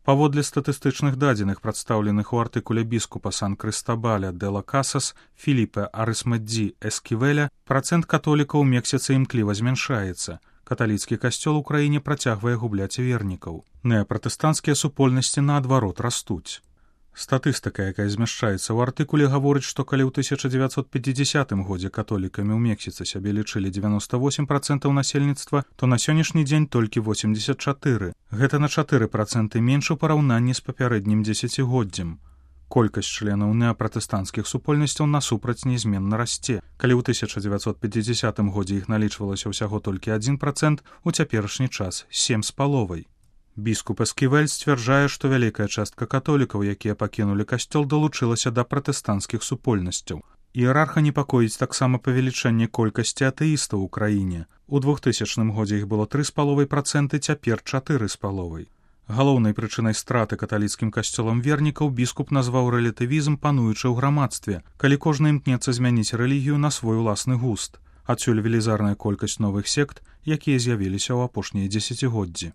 Паводле статыстычных дадзеных, прадстаўленых у артыкуле біскупа Сан-Крыстабаля де ла Касас Філіпе Арысмэдзі Эсківеля, працэнт католікаў у Мексіцы імкліва змяншаецца. Каталіцкі касцёл у краіне працягвае губляць вернікаў. Неапратэстанцкія супольнасці, наадварот, растуць. Статыстыка, якая змяшчаецца ў артыкуле, гаворыць, што калі ў 1950 годзе католікамі ў Мексіцы сябе лічылі 98% насельніцтва, то на сённяшні дзень толькі 84%. Гэта на 4% менш у параўнанні з папярэднім дзесяцігоддзем. Колькасць членаў неапратэстанцкіх супольнасцяў насупраць нязменна расце. Калі ў 1950 годзе іх налічвалася ўсяго толькі 1%, у цяперашні час 7,5%. Біскуп Эсківель сцвярджае, што вялікая частка католікаў, якія пакінулі касцёл, далучылася да пратэстанцкіх супольнасцяў. Іерарха непакоіць таксама павелічэнне колькасці атэістаў у краіне. У 2000 годзе іх было 3,5%, цяпер 4,5%. Галоўнай прычынай страты каталіцкім касцёлам вернікаў біскуп назваў рэлятывізм, пануючы ў грамадстве, калі кожны імкнецца змяніць рэлігію на свой уласны густ. Адсюль велізарная колькасць новых сект, якія з'явіліся ў апошнія дзесяцігоддзі.